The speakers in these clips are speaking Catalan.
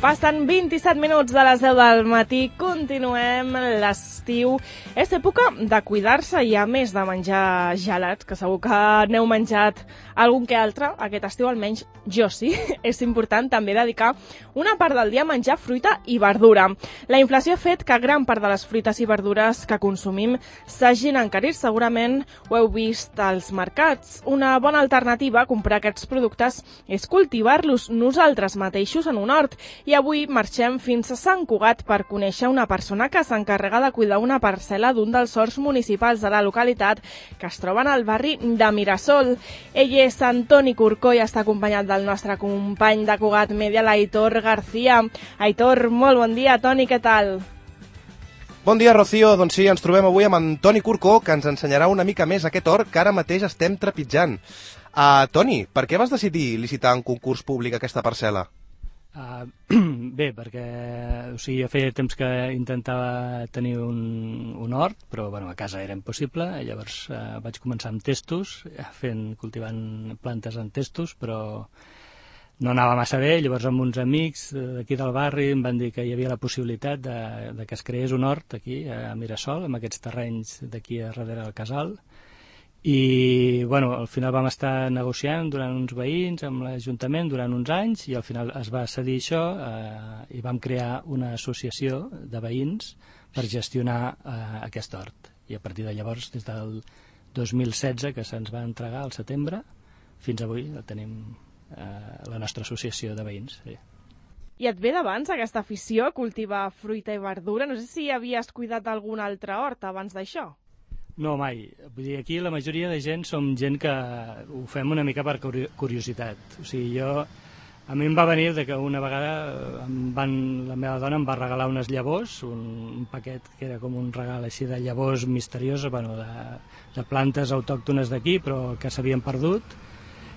Passen 27 minuts de les 10 del matí, continuem l'estiu. És època de cuidar-se i a més de menjar gelats, que segur que n'heu menjat algun que altre, aquest estiu almenys jo sí, és important també dedicar una part del dia a menjar fruita i verdura. La inflació ha fet que gran part de les fruites i verdures que consumim s'hagin encarit, segurament ho heu vist als mercats. Una bona alternativa a comprar aquests productes és cultivar-los nosaltres mateixos en un hort. I avui marxem fins a Sant Cugat per conèixer una persona que s'encarrega de cuidar una parcel·la d'un dels horts municipals de la localitat que es troben al barri de Mirasol. Ell és Antoni Corcó i està acompanyat del nostre company de Cugat Media, l'Aitor García. Aitor, molt bon dia. Toni, què tal? Bon dia, Rocío. Doncs sí, ens trobem avui amb Antoni Corcó, que ens ensenyarà una mica més aquest hort que ara mateix estem trepitjant. Toni, per què vas decidir licitar en concurs públic aquesta parcel·la? Bé, perquè jo feia temps que intentava tenir un hort, però a casa era impossible. Llavors vaig començar amb testos, cultivant plantes en testos, però no anava massa bé. Llavors amb uns amics d'aquí del barri em van dir que hi havia la possibilitat de que es creés un hort aquí a Mirasol, amb aquests terrenys d'aquí a darrere del casal. I al final vam estar negociant durant uns veïns amb l'Ajuntament durant uns anys i al final es va cedir això i vam crear una associació de veïns per gestionar aquest hort. I a partir de llavors, des del 2016, que se'ns va entregar al setembre, fins avui tenim la nostra associació de veïns. Sí. I et ve d'abans aquesta afició a cultivar fruita i verdura? No sé si havies cuidat algun altre hort abans d'això. No, mai. Vull dir, aquí la majoria de gent som gent que ho fem una mica per curiositat. A mi em va venir que una vegada la meva dona em va regalar unes llavors, un paquet que era com un regal així de llavors misterioses, de plantes autòctones d'aquí, però que s'havien perdut,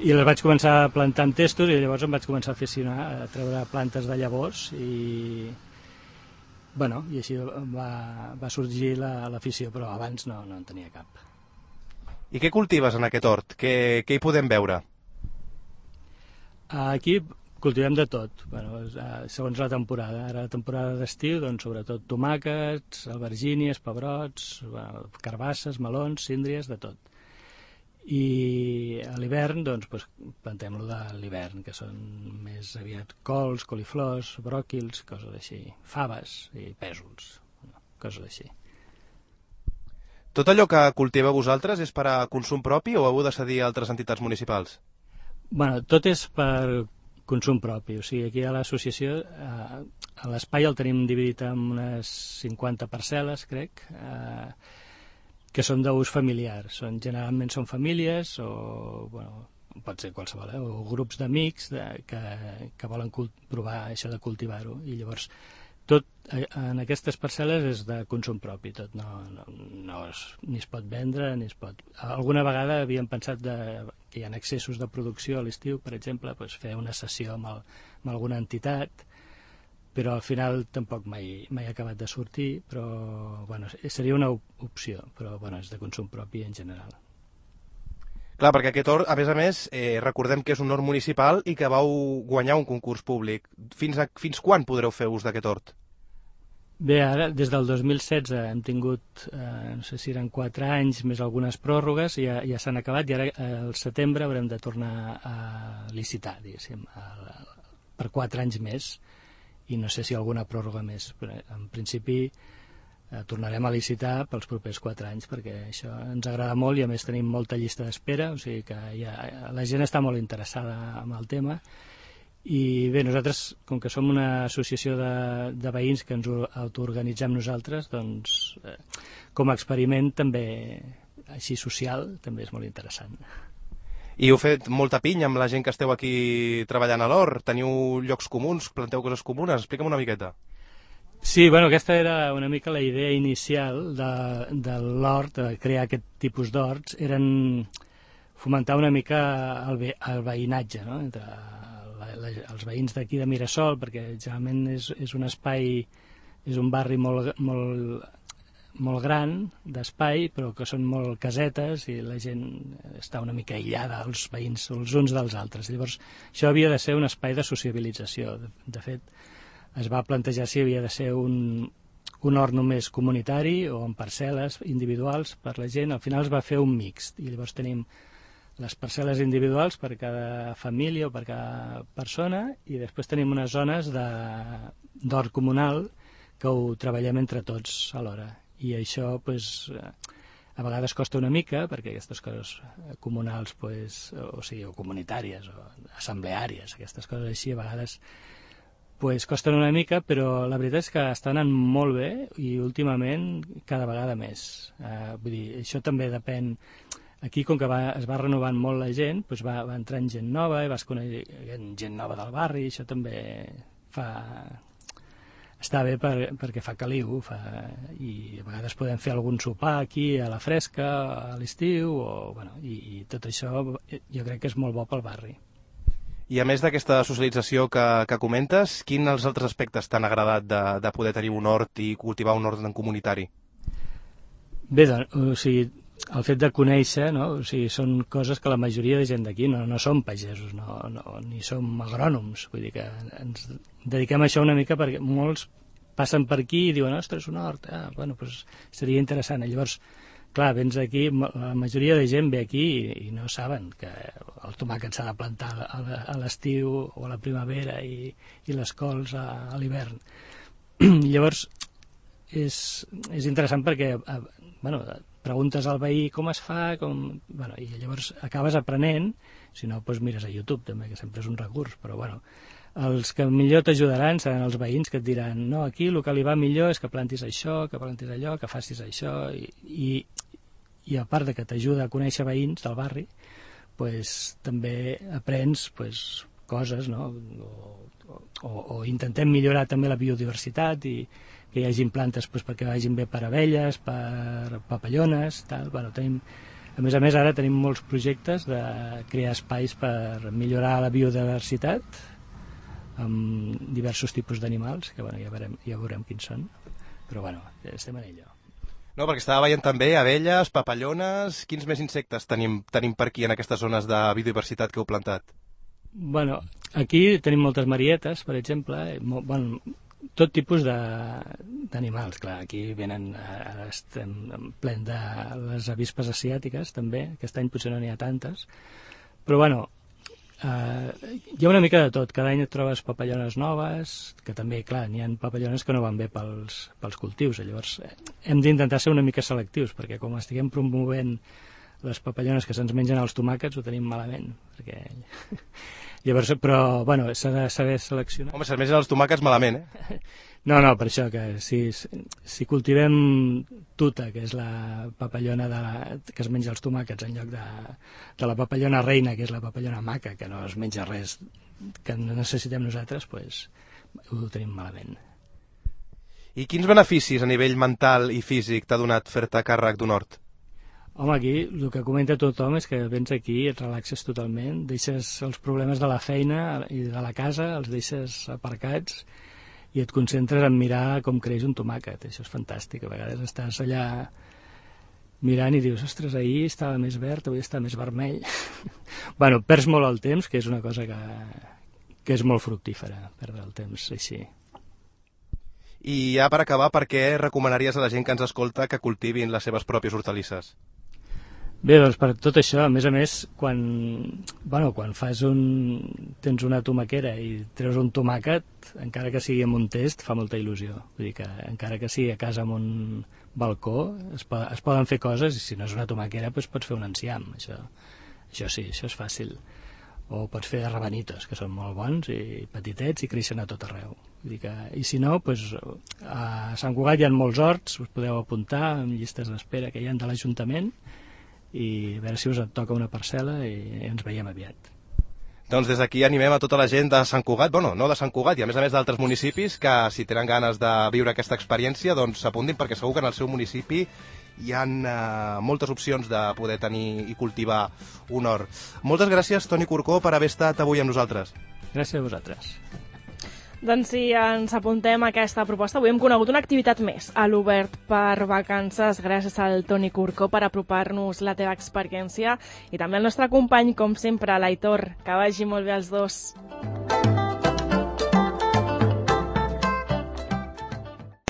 i les vaig començar a plantar en testos i llavors em vaig començar a aficionar a treure plantes de llavors i així va sorgir l'afició, però abans no en tenia cap. I què cultives en aquest hort? Què hi podem veure? Aquí cultivem de tot, segons la temporada. Ara la temporada d'estiu, sobretot tomàquets, albergínies, pebrots, carbasses, melons, síndries, de tot. I a l'hivern plantem lo de l'hivern, que són més aviat cols, coliflors, bròquils, coses així, faves i pèsols, coses així. Tot allò que cultiveu vosaltres és per a consum propi o heu de cedir a altres entitats municipals? Tot és per consum propi, aquí a l'associació l'espai el tenim dividit en unes 50 parcel·les, crec, que són d'ús familiar. Generalment són famílies o pot ser qualsevol, o grups d'amics que volen provar això de cultivar-ho. I llavors tot en aquestes parcel·les és de consum propi, tot ni es pot vendre ni es pot... Alguna vegada havíem pensat que hi ha excessos de producció a l'estiu, per exemple, fer una sessió amb alguna entitat, però al final tampoc mai ha acabat de sortir, però seria una opció, però és de consum propi en general. Clar, perquè aquest hort, a més, recordem que és un hort municipal i que vau guanyar un concurs públic. Fins quan podreu fer ús d'aquest hort? Bé, ara, des del 2016 hem tingut, no sé si eren 4 anys, més algunes pròrrogues, ja s'han acabat, i ara al setembre haurem de tornar a licitar, diguéssim, per 4 anys més, i no sé si alguna pròrroga més, però en principi tornarem a licitar pels propers 4 anys, perquè això ens agrada molt i a més tenim molta llista d'espera, que la gent està molt interessada en el tema. I bé, nosaltres, com que som una associació de veïns que ens autoorganitzem nosaltres, com a experiment també, així social, també és molt interessant. I heu fet molta pinya amb la gent que esteu aquí treballant a l'hort? Teniu llocs comuns? Planteu coses comunes? Explica'm una miqueta. Sí, aquesta era una mica la idea inicial de l'hort, de crear aquest tipus d'horts, eren fomentar una mica el veïnatge, no?, entre els veïns d'aquí de Mirasol, perquè generalment és un espai, és un barri molt gran d'espai, però que són molt casetes i la gent està una mica aïllada, els veïns els uns dels altres. Llavors, això havia de ser un espai de sociabilització. De fet, es va plantejar si havia de ser un hort només comunitari o en parcel·les individuals per la gent. Al final es va fer un mixt i llavors tenim les parcel·les individuals per cada família o per cada persona i després tenim unes zones d'hort comunal que ho treballem entre tots alhora. I això a vegades costa una mica perquè aquestes coses comunals o comunitàries o assembleàries, aquestes coses així a vegades costen una mica, però la veritat és que està anant molt bé i últimament cada vegada més. Vull dir, això també depèn. Aquí, com que es va renovant molt la gent, va entrant gent nova i vas coneixent gent nova del barri, això també està bé perquè fa caliu i a vegades podem fer algun sopar aquí a la fresca a l'estiu i tot això jo crec que és molt bo pel barri. I a més d'aquesta socialització que comentes, quins els altres aspectes t'han agradat de poder tenir un hort i cultivar un hort en comunitari? Bé, doncs, el fet de conèixer, són coses que la majoria de gent d'aquí no som pagesos, ni som agrònoms, vull dir que ens dediquem a això una mica perquè molts passen per aquí i diuen, ostres, un hort, seria interessant. Llavors, clar, vens aquí, la majoria de gent ve aquí i no saben que el tomàquet s'ha de plantar a l'estiu o a la primavera i les cols a l'hivern. Llavors, és interessant perquè preguntes al veí com es fa, i llavors acabes aprenent, si no, mires a YouTube també, que sempre és un recurs, però els que millor t'ajudaran seran els veïns que et diran, no, aquí el que li va millor és que plantis això, que plantis allò, que facis això, i a part de que t'ajuda a conèixer veïns del barri, també aprens coses, o intentem millorar també la biodiversitat i que hi hagin plantes perquè vagin bé per abelles, per papallones, tal. A més, ara tenim molts projectes de crear espais per millorar la biodiversitat amb diversos tipus d'animals, que ja veurem quins són, però estem en allò. No, perquè estava veient també abelles, papallones. Quins més insectes tenim per aquí en aquestes zones de biodiversitat que heu plantat? Aquí tenim moltes marietes, per exemple, tot tipus d'animals, clar, aquí venen, ara estem ple de les avispes asiàtiques també, aquest any potser no n'hi ha tantes, però hi ha una mica de tot, cada any et trobes papallones noves, que també, clar, n'hi ha papallones que no van bé pels cultius, llavors hem d'intentar ser una mica selectius, perquè com estiguem promovent les papallones que se'ns mengen els tomàquets ho tenim malament, perquè... Llavors, però, s'ha de saber seleccionar. Home, se'ls mengen els tomàquets malament, eh? No, per això, que si cultivem tuta, que és la papallona que es menja els tomàquets, en lloc de la papallona reina, que és la papallona maca, que no es menja res que no necessitem nosaltres, ho tenim malament. I quins beneficis a nivell mental i físic t'ha donat fer-te càrrec d'un hort? Home, aquí el que comenta tothom és que vens aquí, et relaxes totalment, deixes els problemes de la feina i de la casa, els deixes aparcats i et concentres en mirar com creix un tomàquet. Això és fantàstic. A vegades estàs allà mirant i dius, ostres, ahir estava més verd, avui està més vermell. Perds molt el temps, que és una cosa que és molt fructífera, perdre el temps així. I ja per acabar, per què recomanaries a la gent que ens escolta que cultivin les seves pròpies hortalisses? Bé, doncs per tot això, a més, quan tens una tomaquera i treus un tomàquet, encara que sigui amb un test, fa molta il·lusió. Vull dir que encara que sigui a casa amb un balcó, es poden fer coses, i si no és una tomaquera, pots fer un enciam. Això sí, això és fàcil. O pots fer rabanitos, que són molt bons i petitets i creixen a tot arreu. Vull dir que, i si no, a Sant Cugat hi ha molts horts, us podeu apuntar amb llistes d'espera que hi ha de l'Ajuntament, i a veure si us et toca una parcel·la i ens veiem aviat. Doncs des d'aquí animem a tota la gent de Sant Cugat, no de Sant Cugat, i a més d'altres municipis, que si tenen ganes de viure aquesta experiència, doncs s'apuntin, perquè segur que en el seu municipi hi ha moltes opcions de poder tenir i cultivar un hort. Moltes gràcies, Toni Corcó, per haver estat avui amb nosaltres. Gràcies a vosaltres. Doncs sí, ens apuntem a aquesta proposta. Avui hem conegut una activitat més a l'Obert per Vacances, gràcies al Toni Corcó per apropar-nos la teva experiència i també al nostre company, com sempre, l'Aitor. Que vagi molt bé els dos.